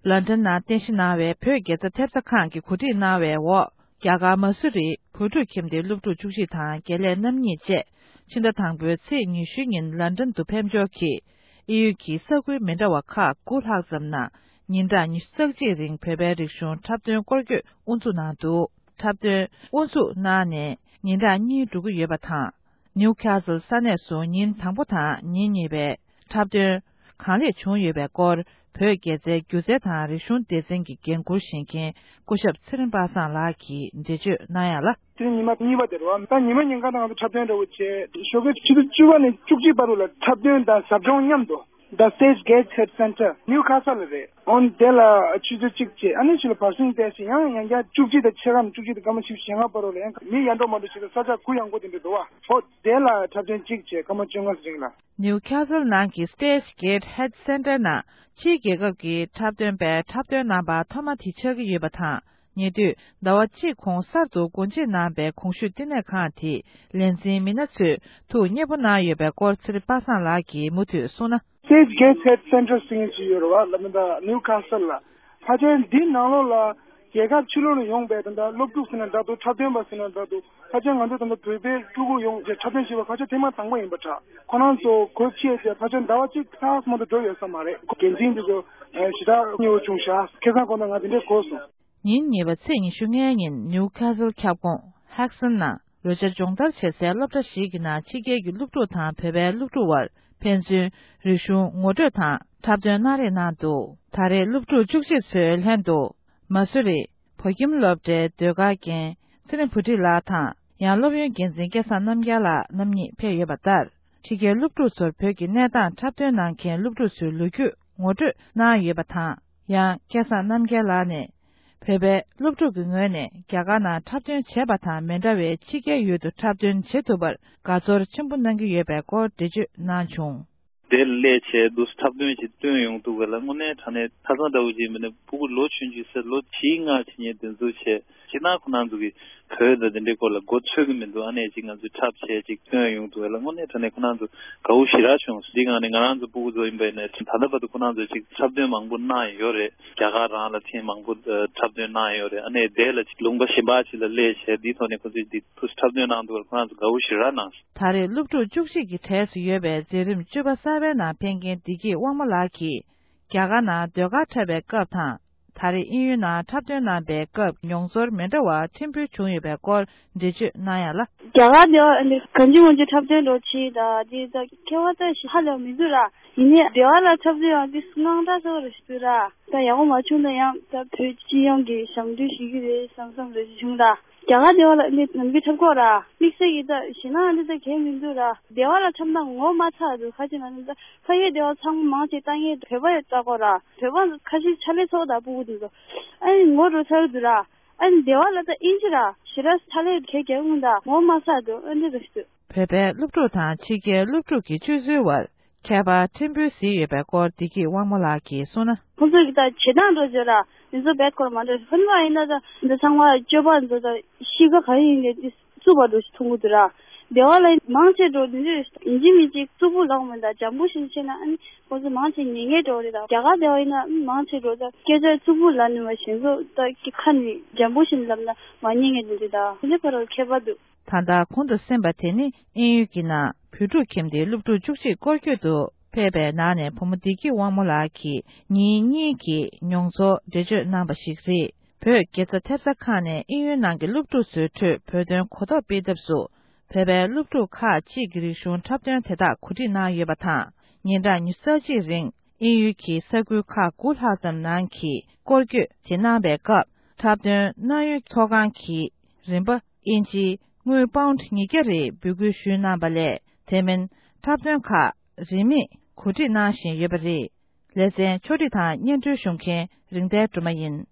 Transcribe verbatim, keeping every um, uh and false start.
ལན་ཀྲན་ནང་རྟེན་གཞི་གནང་བའི་བོད་དགེ་རྩ་ཐེབས་རྩ་ཁང་གིས་གོ་སྒྲིག་གནང་བའི་འོག་རྒྱ་གར་མ་སུ་རི་བོད་ཕྲུག་ཁྱིམ་སྡེའི་སློབ་ཕྲུག་བཅུ་གཅིག་དང་དགེ་ལས་རྣམ་གཉིས་བཅས་ཕྱི་ཟླ་དང་པོའི་ཚེས་ཉི་ཤུ་ཉིན་ལན་ཀྲན་དུ་ཕེབས་འབྱོར་གྱིས། ཨིན་ཡུལ་གྱི་ས་ཁུལ་མི་འདྲ་བ་ཁག་དགུ་ལྷག་ཙམ་ནང་ཉིན་གྲངས་ཉི་ཤུ་རྩ་གཅིག་རིང་བོད་པའི་རིག་གཞུང་འཁྲབ་སྟོན་སྐོར་སྐྱོད་དབུ་འཛུགས་གནང་འདུག་འཁྲབ་སྟོན་དབུ་འཛུགས་གནང་ནས་ཉིན་གྲངས་གཉིས་འགྲོ་གི་ཡོད་པ་དང་། ནིའུ་ཁ་སལ་ས་གནས་སུ་ཉིན་དང་པོ་དང་ཉིན་གཉིས་པའི་འཁྲབ་སྟོན་གང་ལེགས་བྱུང་ཡོད་པའི་སྐོར། བོད་དགེ་རྩའི་སྒྱུ་རྩལ་དང་རིག་གཞུང་སྡེ་ཚན་གྱི་འགན་འཁུར་བཞེས་མཁན་སྐུ་ཞབས་ཚེ་རིང་པ་སངས་ལགས་ཀྱིས་འགྲེལ་བརྗོད་གནང་ཡག་ལ། དེ་ཉི་མ་གཉིས་པ་དེ་རེད་བ། ད་ཉི་མ་ཉིན་གང་ད་ང་ཚོ་འཁྲབ་སྟོན་འདྲ་བོ་བྱས། ཞོགས་ཀའི་ཆུ་ཚོད་བཅུ་པ་ནས་བཅུ་གཅིག་བར་དུ་ལ་འཁྲབ་སྟོན་དང་ཟབ་སྦྱོང་མཉམ་དུ། The Stage Gatehead Center, New Castle རེད། ཨོན་དེ་ལ་ཆུ་ཚོད་གཅིག་བྱས། ཨ་ནི་ཕྱི་ལ་བར་གསེང་བལྟས་ཤིང་ཡང་ཡང་བསྐྱར་བཅུ་གཅིག་དང་ཕྱེད་ཀ་ནས་བཅུ་གཅིག་དང་སྐར་མ་བཞི་བཅུ་ཞེ་ལྔ་བར་རོ་ལ་ཡང་མི་ཡར་འགྲོ་མར་འགྲོ་བྱེད་ས་ས་ཆ་གུ་ཡངས་པོ་དེ་འདྲ་འདུག་བ། ཧོ་དེ་ལ་འཁྲབ་སྟོན་གཅིག་བྱས་སྐར་མ་བཅོ་ལྔ་རིང་ལ། ནིའུ་ཁ་སལ་ནང་གི་Stage Gatehead Center ནང་ཕྱིའི་རྒྱལ་ཁབ་ཀྱི་འཁྲབ་སྟོན་པས་འཁྲབ་སྟོན་གནང་པ་ཐོག་མ་དེ་ཆགས་ཀྱི་ཡོད་པ་དང་། ཉེ་དུས་ཟླ་བ་གཅིག་གོང་གསར་དུ་སྒོ་འབྱེད་གནང་པའི་གོང་ཞུས་བསྟི་གནས་ཁང་དེའི་ལས་འཛིན་མི་སྣ་ཚོས་ཐུགས་མཉེས་པོ་གནང་ཡོད་པའི་སྐོར་ཚེ་རིང་པ་སངས་ལགས་ཀྱིས་མུ་མཐུད་གསུངས་ན། Stage Gatehead Center ཟེར་མཁན་ཅིག་ཡོད་རེད་བ། ལ་མི་ད་ནིའུ་ཁ་སལ་ལ། ཕལ་ཆེར་འདི་ནང་ལོགས་ལ་རྒྱལ་ཁབ་ཕྱི་ལོགས་ནས་ཡོང་པའི་ད་ལྟ་སློབ་ཕྲུག་ཟེར་ན་འདྲ་འདུག་འཁྲབ་སྟོན་པ་ཟེར་ན་འདྲ་འདུག་ཕལ་ཆེར་ང་ཚོ་ད་ལྟ་བོད་པའི་ཕྲུ་གུ་ཡོང་རྗེས་འཁྲབ་སྟོན་བྱས་པ་ཕལ་ཆེར་ཐེངས་མ་དང་པོ་ཡིན་པ་འདྲ། ཁོ་རང་ཚོ་གོ་ཆེ་རྗེས་ཕལ་ཆེར་ཟླ་བ་གཅིག་ལྷག་མ་གཏོགས་འགྲོ་ཡོད་ས་མ་རེད། འགན་འཛིན་འདི་ཚོ་ཞེ་དྲག་མཉེས་པོ་བྱུང་ཤག་ཁ་སང་ཁོ་ན་ང་དེ་འདྲས་གོ་སོང་། ཉིན་གཉིས་པ་ཚེས་ཉི་ཤུ་ལྔ་ཉིན་ནིའུ་ཁ་སལ་ཁྱབ་ཁོངས་ཧེག་སན་ནང་རོལ་ཆ་སྦྱོང་བརྡར་བྱེད་སའི་སློབ་གྲྭ་ཞིག་གི་ནང་ཕྱི་རྒྱལ་གྱི་སློབ་ཕྲུག་དང་བོད་པའི་སློབ་ཕྲུག་དབར་ཕན་ཚུན་རིག་གཞུང་ངོ་སྤྲོད་དང་འཁྲབ་སྟོན་གནང་རེས་གནང་འདུག་ད་རེས་སློབ་ཕྲུག་བཅུ་གཅིག་ཚོའི་ལྷན་དུ་མ་སུ་རི་བོད་ཁྱིམ་སློབ་གྲྭའི་ཟློས་གར་མཁན་ཚེ་རིང་བུ་ཁྲིད་ལགས་དང་། ཡང་སློབ་ཡོན་འགན་འཛིན་སྐལ་བཟང་རྣམ་རྒྱལ་ལགས་རྣམ་གཉིས་ཕེབས་ཡོད་པ་ལྟར། ཕྱི་རྒྱལ་སློབ་ཕྲུག་ཚོར་བོད་ཀྱི་གནས་སྟངས་འཁྲབ་སྟོན་གནང་མཁན་སློབ་ཕྲུག་ཚོའི་ལོ་རྒྱུས་ངོ་སྤྲོད་གནང་ཡོད་པ་དང་། ཡང་སྐལ་བཟང་རྣམ་རྒྱལ་ལགས་ནས། བོད་པའི་སློབ་ཕྲུག་གི་ངོས་ནས་རྒྱ་གར་ནང་འཁྲབ་སྟོན་བྱས་པ་དང་མི་འདྲ་བའི་ཕྱི་རྒྱལ་ཡུལ་དུ་འཁྲབ་སྟོན་བྱེད་ཐུབ་པར་དགའ་ཚོར་ཆེན་པོ་གནང་གི་ཡོད་པའི་སྐོར་འགྲེལ་བརྗོད་གནང་བྱུང་། དེ་ལས་བྱས་འདུག་འཁྲབ་སྟོན་ཞིག་སྟོན་ཡོང་ཐུབ་པ་ལ་དངོས་གནས་དྲང་གནས་ཁ་སང་འདྲ་བོ་ཅིག་མིན་ན་ཕྲུ་གུ་ལོ་ཆུང་ཆུང་ཟེར་ལོ་བཞི་ལྔ་བྱེད་མཁན་དེ་ཚོ་བྱས་སྤྱིར་ན་ཁོ་རང་ཚོ་གི་བོད་དང་དེ་འདྲའི་སྐོར་ལ་མགོ་ཚོད་ཀྱི་མི་འདུག་ཨ་ནེ་ཅིག་ང་ཚོས་འཁྲབ་བྱས་ཅིག་སྟོན་ཡོང་ཐུབ་པ་ལ་དངོས་གནས་དྲང་གནས་ཁོ་རང་ཚོ་དགའ་བོ་ཞེ་དྲག་བྱུང་སོང་། འདི་སྒང་ནས་ང་རང་ཚོ་ཕྲུ་གུ་ཚོ་ཡིན་པ་ཡིན་ན་ད་ལྟ་བར་དུ་ཁོ་རང་ཚོ་ཅིག་འཁྲབ་སྟོན་མང་པོ་གནང་ཡོད་རེད། རྒྱ་གར་རང་ལ་ཐེངས་མང་པོ་འཁྲབ་སྟོན་གནང་ཡོད་རེད། ཨ་ནེ་དེ་ལ་ཅིག་ལུང་པ་གཞན་པ་ཅིག་ལ་སླེབས་བྱས་འདིའི་ཐོག་ནས་ཁོ་ཚོས་འདི་འཁྲབ་སྟོན་གནང་འདུག་པ་ཁོ་རང་ཚོ་དགའ་བོ་ཞེ་དྲག་གནང་སོང་། ད་རེས་སློབ་ཕྲུག་བཅུ་གཅིག་གི་གྲས་སུ་ཡོད་པའི་འཛིན་རིམ་བཅུ་པ་གསར་པའི་ནང་ཕེབས་མཁན་བདེ་སྐྱིད་དབང་མོ་ལགས་ཀྱིས། རྒྱ་གར་ནང་ཟློས་གར་འཁྲབ་པའི་སྐབས་དང་། ད་རེས་དབྱིན་ཡུལ་ནང་འཁྲབ་སྟོན་གནང་པའི་སྐབས་མྱོང་ཚོར་མི་འདྲ་བ་ཕྲན་བུ་བྱུང་ཡོད་པའི་སྐོར་འགྲེལ་བརྗོད་གནང་ཡག་ལ། རྒྱ་གར་དེ་བ་འདི་གང་ཅི་མང་ཅི་འཁྲབ་སྟོན་འགྲོ་ཆེ་ད་འདི་ད་ཁྱད་པར་ད་ཞིག་ཧ་ལས་མི་འདུག་ར། ཡིན་ནའི་སྡེ་བ་ལ་འཁྲབ་སྟོན་ཡང་འདི་དངངས་སྐྲག་ཚ་པོ་རེ་ཞིག་འདུག་ར། ད་ཡག་པོ་མ་བྱུང་ན་ཡང་ད་བོད་སྤྱི་ཡོངས་ཀྱི་ཞབས་འདྲེན་ཞུ་གི་རེད་བསམ་བསམ་རེ་ཞིག་བྱུང་ར། རྒྱ་གར་སྡེ་བ་ལ་ནི་ནམ་རྒྱུན་འཁྲབ་ཀྱི་ཡོད་ར། དམིགས་བསལ་གྱི་ད་ཞེད་སྣང་འདི་ད་གང་ཡང་མི་འདུག་ར། སྡེ་བ་ལ་འཁྲབ་ན་ངོ་མ་ཚ་འདུག་ཁ་ཅིག་ང་ནི་ད་ཕ་གིའི་སྡེ་བ་ཚང་མ་མང་ཆེ་ལྟ་མཁན་བོད་པ་ཡང་ལྟ་གི་ཡོད་ར། བོད་པ་ཁ་ཤས་ཕྱག་ལས་ཚོགས་དང་ཕྲུ་གུ་འདུག་ད། ཨ་ནི་ངོ་འགྲོ་ཚར་འདུག་ར། ཨ་ནི་སྡེ་བ་ལ་ད་དབྱིན་ཇི་ར་ཞེ་དྲག་ཕྱག་ལས་ག་རྒྱག་གི་མི་འདུག་ངོ་མ་ཚ་འདུག་ཨ་འདི་རེད་འདུག་བོད་པའི་སློབ་ཕྲུག་དང་ཕྱི་རྒྱལ་སློབ་ཕྲུག་གི་སྤྱོད་ཚུལ་བར་ཁྱད་པར་ཕྲན་བུ་གཟིགས་ཡོད་པའི་སྐོར་བདེ་སྐྱིད་དབང་མོ་ལགས་ཀྱིས་གསུངས་ན། ཁོང་ཚོ་གི་ད་བྱེད་སྟངས་འགྲོ་བརྗོད་ར། འདི་ཚོ་བེད་སྐོར་མ་འགྲོ་ཧོན་པ་ཡིན་ན་ད་འདི་ཚང་མ་སྤྱོད་པ་འདི་ཚོ་ད་གཤིས་ཀ་ག་རེ་ཡིན་ནའི་འདི་རྩུབ་པ་འགྲོ་ཞིག་མཐོང་གི་འདུག་ར། སྡེ་བ་ལ་མང་ཆེ་འགྲོ་འདི་འདྲ་ཡིན་གཅིག་མིན་གཅིག་རྩུབ་པོ་ལབ་མི་འདུག་འཇམ་པོ་ཞིག་བྱས་ན་ཨ་ནི་ཁོང་ཚོ་མང་ཆེ་ཉན་མཁན་འགྲོ་རེད་ད། རྒྱ་གར་སྡེ་བ་ཡིན་ན་མང་ཆེ་འགྲོ་ད་སྐད་ཆ་རྩུབ་པོ་ལབ་ནི་མ་གཞན་ཚོ་ད་ཁ་ནས་འཇམ་པོ་ཞིག་ལབ་ན་མ་ཉན་མཁན་འདི་འདྲ་ད་དེ་འདྲ་ཁ་རོག་ཁྱད་པར་འདུག་ད་ལྟ་གོང་དུ་གསན་པ་དེ་ནི་དབྱིན་ཡུལ་གྱི་ནང་བོད་ཕྲུག་ཁྱིམ་སྡེའི་སློབ་ཕྲུག་བཅུ་གཅིག་སྐོར་སྐྱོད་དུ་ཕེབས་པའི་ནང་ནས་བུ་མོ་བདེ་སྐྱིད་དབང་མོ་ལགས་ཀྱིས་ཉིན་གཉིས་ཀྱི་མྱོང་ཚོར་འགྲེལ་བརྗོད་གནང་བ་ཞིག་རེད། བོད་དགེ་རྩ་ཐེབས་རྩ་ཁང་ནས་དབྱིན་ཡུལ་ནང་གི་སློབ་ཕྲུག་ཚོའི་ཁྲོད་བོད་དོན་གོ་རྟོགས་སྤེལ་ཐབས་སུ། བོད་པའི་སློབ་ཕྲུག་ཁག་ཅིག་གི་རིག་གཞུང་འཁྲབ་སྟོན་དེ་དག་གོ་སྒྲིག་གནང་ཡོད་པ་དང་། ཉིན་གྲངས་ཉི་ཤུ་རྩ་གཅིག་རིང་དབྱིན་ཡུལ་གྱི་ས་ཁུལ་ཁག་དགུ་ལྷག་ཙམ་ནང་གི་སྐོར་སྐྱོད་དེ་གནང་པའི་སྐབས། འཁྲབ་སྟོན་གནང་ཡུལ་ཚོགས་ཁང་གི་རིམ་པ་དབྱིན་ཇིའི་དངུལ་པའུནཌ་ཉིས་བརྒྱ་རེ་འབོད་སྐུལ་ཞུས་གནང་བ་ལས། དེ་མིན་འཁྲབ་སྟོན་ཁག་རིན་མེད་གོ་སྒྲིག་གནང་བཞིན་ཡོད་པ་རེད། ལེ་ཚན་ཕྱོགས་སྒྲིག་དང་སྙན་སྒྲོན་ཞུ་མཁན་རིག་ལྡན་སྒྲོལ་མ་ཡིན།